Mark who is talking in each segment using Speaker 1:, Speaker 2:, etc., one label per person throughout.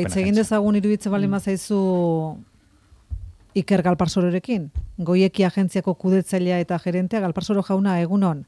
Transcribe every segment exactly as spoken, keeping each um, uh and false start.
Speaker 1: Hitz egin dezagun iruditzen baldin bazaizu Iker Galparsororekin, Goieki agentziako kudetzailea eta gerentea. Galparsoro jauna, egunon.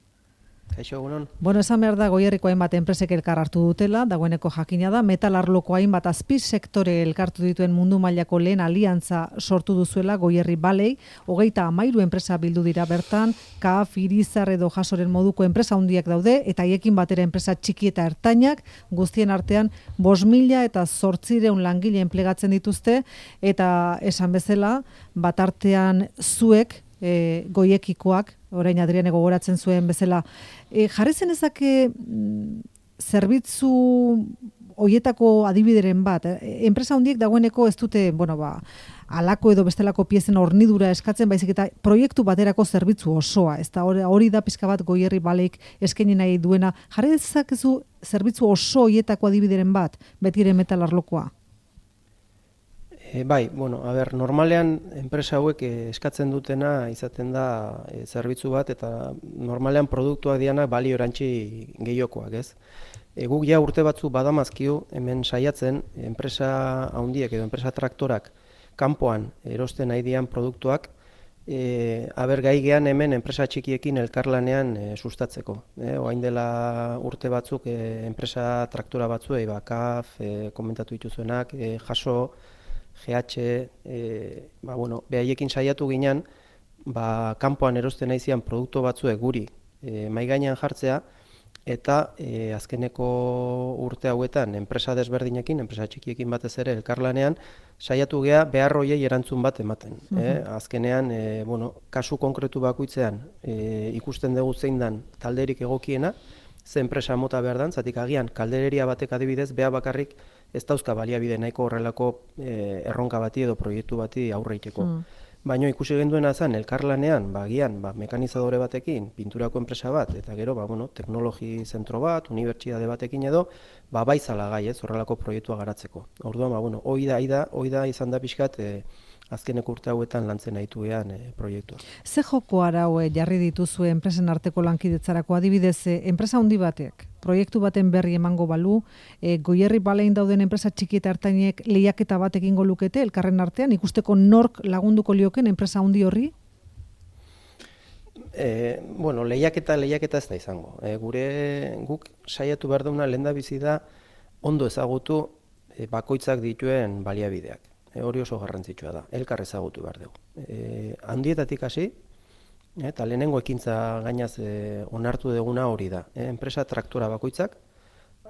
Speaker 2: Kaixo, egunon.
Speaker 1: Bueno, esan behar da Goierriko hainbat enpresek elkar hartu dutela, dagoeneko jakina da, metal arloko hainbat azpi sektore elkartu dituen mundu mailako lehen aliantza sortu duzuela Goierri Balei, hogeita hamairu enpresa bildu dira bertan, K A F, Irizar edo Jasoren moduko enpresa handiak daude, eta haiekin batera enpresa txiki eta ertainak, guztien artean bost mila eta zortziehun langile enplegatzen dituzte, eta esan bezala, bat artean zuek, E, goiekikoak, orain Adriane gogoratzen zuen bezala, e, jarri zenezake mm, zerbitzu hoietako adibideren bat, e, enpresa handiek dagoeneko ez dute, bueno, ba, alako edo bestelako piezen hornidura eskatzen, baizik eta proiektu baterako zerbitzu osoa, ez da hori da pizka bat Goierri Baleik eskaini nahi duena, jarri dezakezu zerbitzu oso hoietako adibideren bat, betire metal arlokoa?
Speaker 2: E, bai, bueno, a ber, normalean enpresa hauek eh, eskatzen dutena izaten da eh, zerbitzu bat, eta normalean produktuak dianak balio erantzi gehiokoak, ez? E, guk ja urte batzu badamazkiu hemen saiatzen enpresa handiek edo enpresa traktorak kanpoan erosten nahi dian produktuak, e, aber gai gean hemen enpresa txikiekin elkarlanean e, sustatzeko. E, oain dela urte batzuk e, enpresa traktora batzuei, ba, K A F, e, komentatu dituzuenak, e, Jaso, G H, e, ba, bueno, behaiekin saiatu ginen, ba, kanpoan erosten naizian produktu batzuek guri e, mai gainean jartzea, eta e, azkeneko urte hauetan enpresa desberdinekin, enpresa txikiekin batez ere elkarlanean, saiatu gea behar hoiei erantzun bat ematen. Mm -hmm. e, azkenean, e, bueno, kasu konkretu bakoitzean e, ikusten dugu zein dan talderik egokiena, ze enpresa mota behar dan, zatik agian kaldereria batek adibidez, beha bakarrik ez dauzka baliabide nahiko horrelako e, erronka bati edo proiektu bati aurreiteko. Mm. Baina ikusi genduena zen elkarlanean, ba, gian, ba, mekanizadore batekin, pinturako enpresa bat, eta gero, ba, bueno, teknologi zentro bat, unibertsitate batekin edo, ba, baizala gai, ez, horrelako proiektua garatzeko. Orduan, ba, bueno, hoi da, hoi da, hoi da izan da pixkat, e, azkeneko urte hauetan lantzen nahitu ean e, proiektua.
Speaker 1: Ze joko arau e, jarri dituzue enpresen arteko lankidetzarako, adibidez, e, enpresa handi batek, proiektu baten berri emango balu, e, Goierri Balein dauden enpresa txiki eta ertainek lehiaketa bat egingo lukete, elkarren artean, ikusteko nork lagunduko lioken enpresa handi horri?
Speaker 2: E, bueno, lehiaketa, lehiaketa ez da izango. E, gure guk saiatu behar duguna lehendabizi da ondo ezagutu e, bakoitzak dituen baliabideak. E, hori oso garrantzitsua da, elkar ezagutu behar dugu. E, handietatik hasi, eta lehenengo ekintza gainaz e, onartu duguna hori da. E, enpresa traktora bakoitzak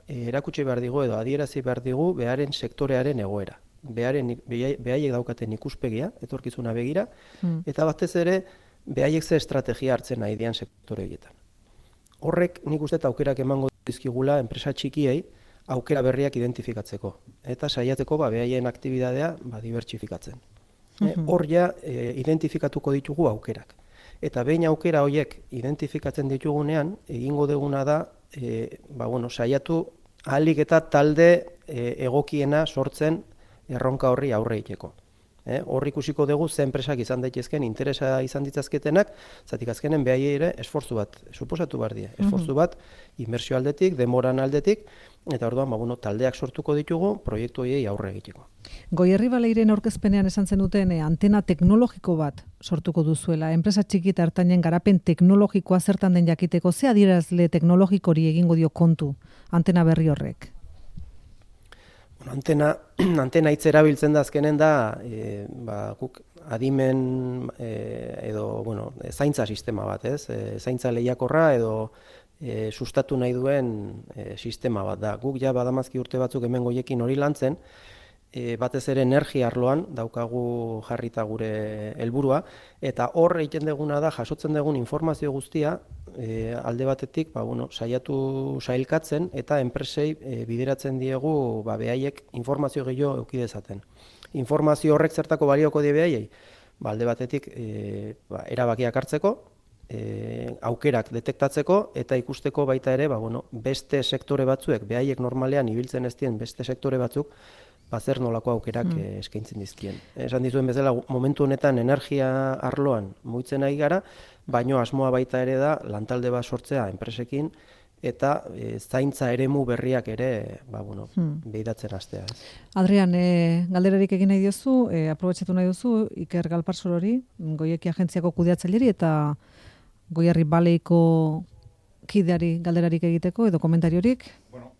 Speaker 2: e, erakutsi behar digu edo adierazi behar digu beharen sektorearen egoera. Beharen, behaiek daukaten ikuspegia, etorkizuna begira, mm. eta batez ere behaiek ze estrategia hartzen nahi dian sektore horietan. Horrek nik uste aukerak emango dizkigula enpresa txikiei aukera berriak identifikatzeko. Eta saiatzeko ba, behaien aktibitatea ba, dibertsifikatzen. Mm-hmm. Hor ja e, identifikatuko ditugu aukerak. Eta behin aukera horiek identifikatzen ditugunean, egingo duguna da, e, ba, bueno, saiatu ahalik eta talde e, egokiena sortzen erronka horri aurre egiteko. Eh, hor ikusiko dugu ze enpresak izan daitezken interesa izan ditzazketenak, zatik azkenen behaiei ere esfortzu bat, suposatu behar die, esfortzu bat, inbertsio aldetik, demoran aldetik, eta orduan ba, bueno, taldeak sortuko ditugu proiektu horiei aurre egiteko.
Speaker 1: Goierri Baleiren aurkezpenean esan zen duten eh, antena teknologiko bat sortuko duzuela, enpresa txiki eta ertainen garapen teknologikoa zertan den jakiteko, ze adierazle teknologikori egingo dio kontu antena berri horrek?
Speaker 2: Bueno, antena, antena hitz erabiltzen da azkenen da, e, ba, guk adimen e, edo, bueno, zaintza sistema bat, ez? E, zaintza lehiakorra edo e, sustatu nahi duen e, sistema bat da. Guk ja badamazki urte batzuk hemen goiekin hori lantzen, e, batez ere energia arloan daukagu jarrita gure helburua, eta hor egiten duguna da, jasotzen dugun informazio guztia, E, alde batetik ba, bueno, saiatu sailkatzen eta enpresei e, bideratzen diegu ba, behaiek informazio gehiago eduki dezaten. Informazio horrek zertako balioko die behaiei? Ba, alde batetik e, ba, erabakiak hartzeko, e, aukerak detektatzeko eta ikusteko baita ere ba, bueno, beste sektore batzuek, behaiek normalean ibiltzen ez dien beste sektore batzuk, ba, zer nolako aukerak mm. e, eskaintzen dizkien. Esan dizuen bezala, momentu honetan energia arloan mugitzen ari gara, baino asmoa baita ere da lantalde bat sortzea enpresekin eta e, zaintza eremu berriak ere ba, bueno, hmm. behidatzen hastea. Ez.
Speaker 1: Adrian, e, galderarik egin nahi diozu, e, aprobetxatu nahi duzu, Iker Galparsolori, Goieki agentziako kudeatzaileri eta Goierri Baleiko kideari galderarik egiteko edo komentariorik?
Speaker 3: Bueno,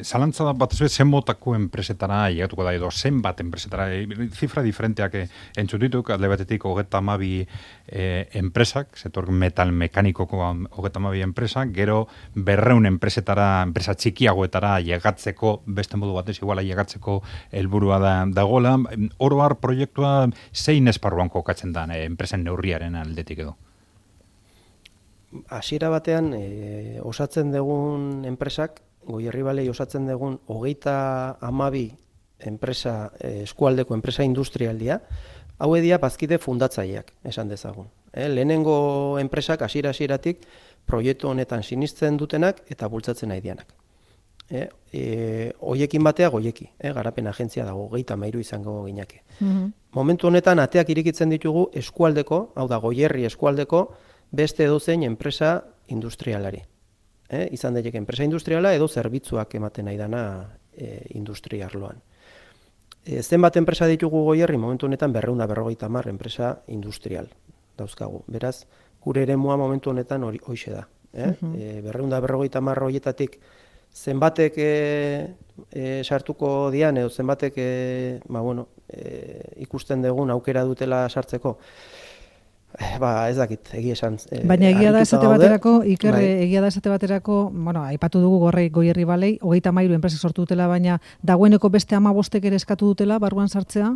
Speaker 3: zalantza da bat zen motako enpresetara llegatuko da edo zenbat enpresetara, zifra diferenteak entzutituk, alde batetik hogeta amabi eh, enpresak, setor metal mekanikoko hogeta amabi enpresak, gero berreun enpresetara, enpresa txikiagoetara llegatzeko, beste modu batez iguala llegatzeko helburua da dagoela. Oro har proiektua zein esparruan kokatzen da eh, enpresen neurriaren aldetik edo?
Speaker 2: Hasiera batean e, osatzen dugun enpresak, Goierri Balei osatzen dugun hogeita hamabi enpresa, e, eskualdeko enpresa industrialdia, hau edia bazkide fundatzaileak, esan dezagun. E, lehenengo enpresak hasiera hasieratik proiektu honetan sinistzen dutenak eta bultzatzen nahi dianak. E, e, hoiekin batea goieki, e, garapen agentzia dago, hogeita hamairu izango ginake. Mm-hmm. Momentu honetan ateak irikitzen ditugu eskualdeko, hau da Goierri eskualdeko, beste edozein enpresa industrialari. Eh, izan daiteke enpresa industriala edo zerbitzuak ematen nahi dana e, industria arloan. E, zenbat enpresa ditugu Goierri, momentu honetan berrehun eta berrogeita hamar enpresa industrial dauzkagu. Beraz, gure eremua momentu honetan hori hoixe da. Eh? Uh-huh. e, berrehun eta berrogeita hamar horietatik zenbatek e, e, sartuko dian edo zenbatek e, ba, bueno, e, ikusten dugun aukera dutela sartzeko. Ba, ez dakit, egia esan. E,
Speaker 1: Baina egia da esate baterako, Iker, bai. egia da esate baterako, bueno, aipatu dugu gorrei Goierri Balei, hogeita hamairu enpresa sortu dutela, baina dagoeneko beste hamabostek ere eskatu dutela barruan sartzea?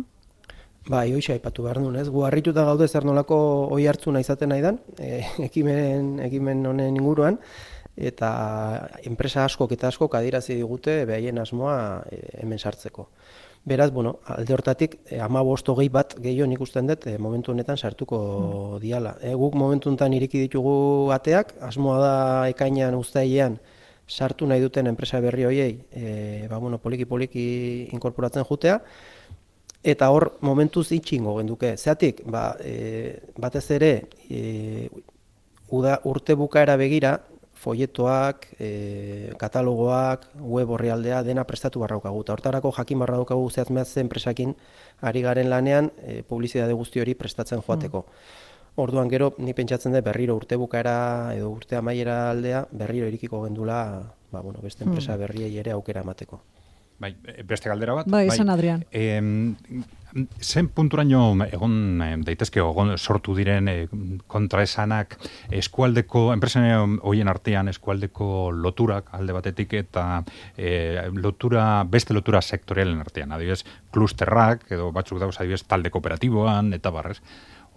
Speaker 2: Bai, hoixe aipatu behar duen, ez? Gu harrituta gaude zer nolako oi hartzuna izaten nahi dan, e, ekimen, ekimen honen inguruan, eta enpresa askok eta askok adierazi digute behaien asmoa e, hemen sartzeko. Beraz, bueno, alde hortatik, hamabost hogei bat gehiago ikusten dut, e, momentu honetan sartuko mm. diala. E, guk momentu honetan iriki ditugu ateak, asmoa da ekainean uztailean sartu nahi duten enpresa berri hoiei, e, ba, bueno, poliki-poliki inkorporatzen jutea, eta hor momentuz itxingo genduke. Zeatik, ba, e, batez ere, e, uda, urte bukaera begira, folletoak, e, katalogoak, web orrialdea, dena prestatu barraukagu. Eta hortarako jakin barraukagu zehaz mehaz enpresakin ari garen lanean e, publizitate guzti hori prestatzen joateko. Mm. Orduan gero, ni pentsatzen dut berriro urte bukaera edo urte amaiera aldea, berriro irikiko gendula ba, bueno, beste enpresa berriei ere aukera emateko.
Speaker 3: Bai, beste galdera bat?
Speaker 1: Bai, esan Adrian.
Speaker 3: Eh, zen punturaino egon daitezke egon sortu diren eh, kontraesanak eskualdeko, enpresen horien artean eskualdeko loturak alde batetik eta eh, lotura, beste lotura sektorialen artean, adibidez, klusterrak edo batzuk dauz adibidez talde kooperatiboan eta barrez.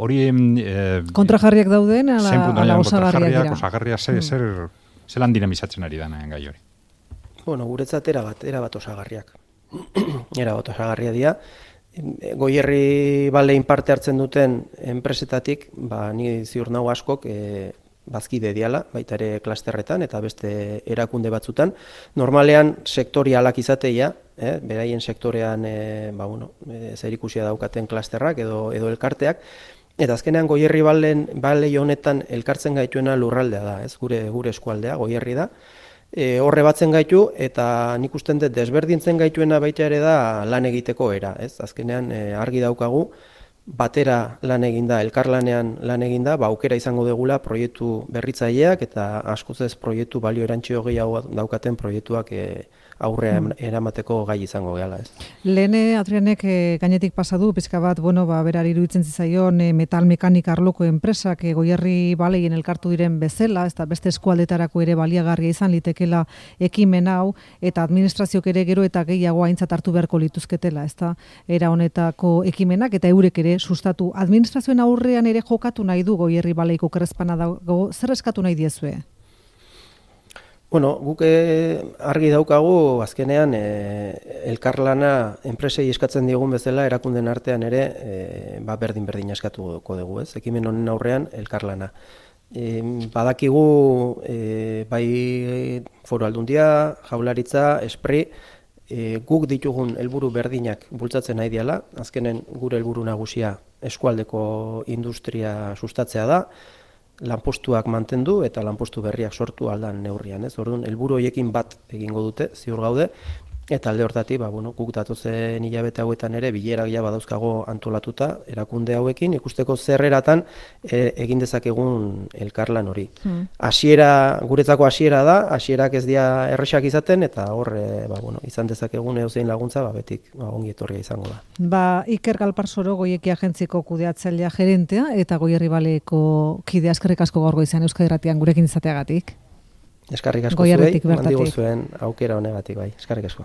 Speaker 3: Hori... Eh,
Speaker 1: kontrajarriak dauden ala, ala osagarriak dira.
Speaker 3: Osagarriak zer, zer, zelan dinamizatzen ari dana gai hori?
Speaker 2: Bueno, guretzat erabat, erabat osagarriak. Erabat osagarria dira. Goierri Balein parte hartzen duten enpresetatik, ba, ni ziur nau askok e, bazkide diala, baita ere klasterretan eta beste erakunde batzutan. Normalean sektorialak izateia, eh, beraien sektorean e, ba, bueno, e, zerikusia daukaten klasterrak edo, edo elkarteak, eta azkenean Goierri Balein, Balei honetan elkartzen gaituena lurraldea da, ez gure, gure eskualdea, Goierri da. E, horre batzen gaitu eta nik usten dut desberdintzen gaituena baita ere da lan egiteko era, ez? Azkenean e, argi daukagu batera lan eginda, elkarlanean lan eginda, ba aukera izango degula proiektu berritzaileak eta askoz ez proiektu balio erantsio gehiago daukaten proiektuak e, aurrea eramateko gai izango gehala, ez.
Speaker 1: Lehene Adrianek e, gainetik pasa du pizka bat, bueno, ba berari iruditzen zitzaion e, metal mekanika arloko enpresak e, Goierri Baleien elkartu diren bezala, ezta beste eskualdetarako ere baliagarria izan litekela ekimen hau eta administrazioak ere gero eta gehiago aintzat hartu beharko lituzketela, ezta era honetako ekimenak eta eurek ere sustatu. Administrazioen aurrean ere jokatu nahi du Goierri Baleiko krespana dago, zer eskatu nahi diezue?
Speaker 2: Bueno, guk argi daukagu azkenean e, elkarlana enpresei eskatzen diogun bezala erakunden artean ere e, ba berdin berdin eskatuko dugu, ez? Ekimen honen aurrean elkarlana. E, badakigu e, bai Foru Aldundia, Jaurlaritza, Espri, e, guk ditugun helburu berdinak bultzatzen nahi diala. Azkenen gure helburu nagusia eskualdeko industria sustatzea da. lanpostuak mantendu eta lanpostu berriak sortu aldan neurrian, ez? Orduan, helburu horiekin bat egingo dute, ziur gaude, eta alde hortatik, ba, bueno, guk datozen hilabete hauetan ere bilerak ja badauzkago antolatuta erakunde hauekin, ikusteko zerreratan e, egin dezakegun elkarlan hori. Hmm. Hasiera, guretzako hasiera da, hasierak ez dira erresak izaten, eta hor, e, ba, bueno, izan dezakegun edozein laguntza, ba, betik ba, ongi etorria izango da.
Speaker 1: Ba, Iker Galparsoro, Goieki agentziko kudeatzailea gerentea, eta Goierri Baleko kidea, eskerrik asko gaur goizean Euskadi Irratian gurekin izateagatik.
Speaker 2: Eskerrik asko zuei, mandi gozuen aukera honegatik, bai, eskerrik asko.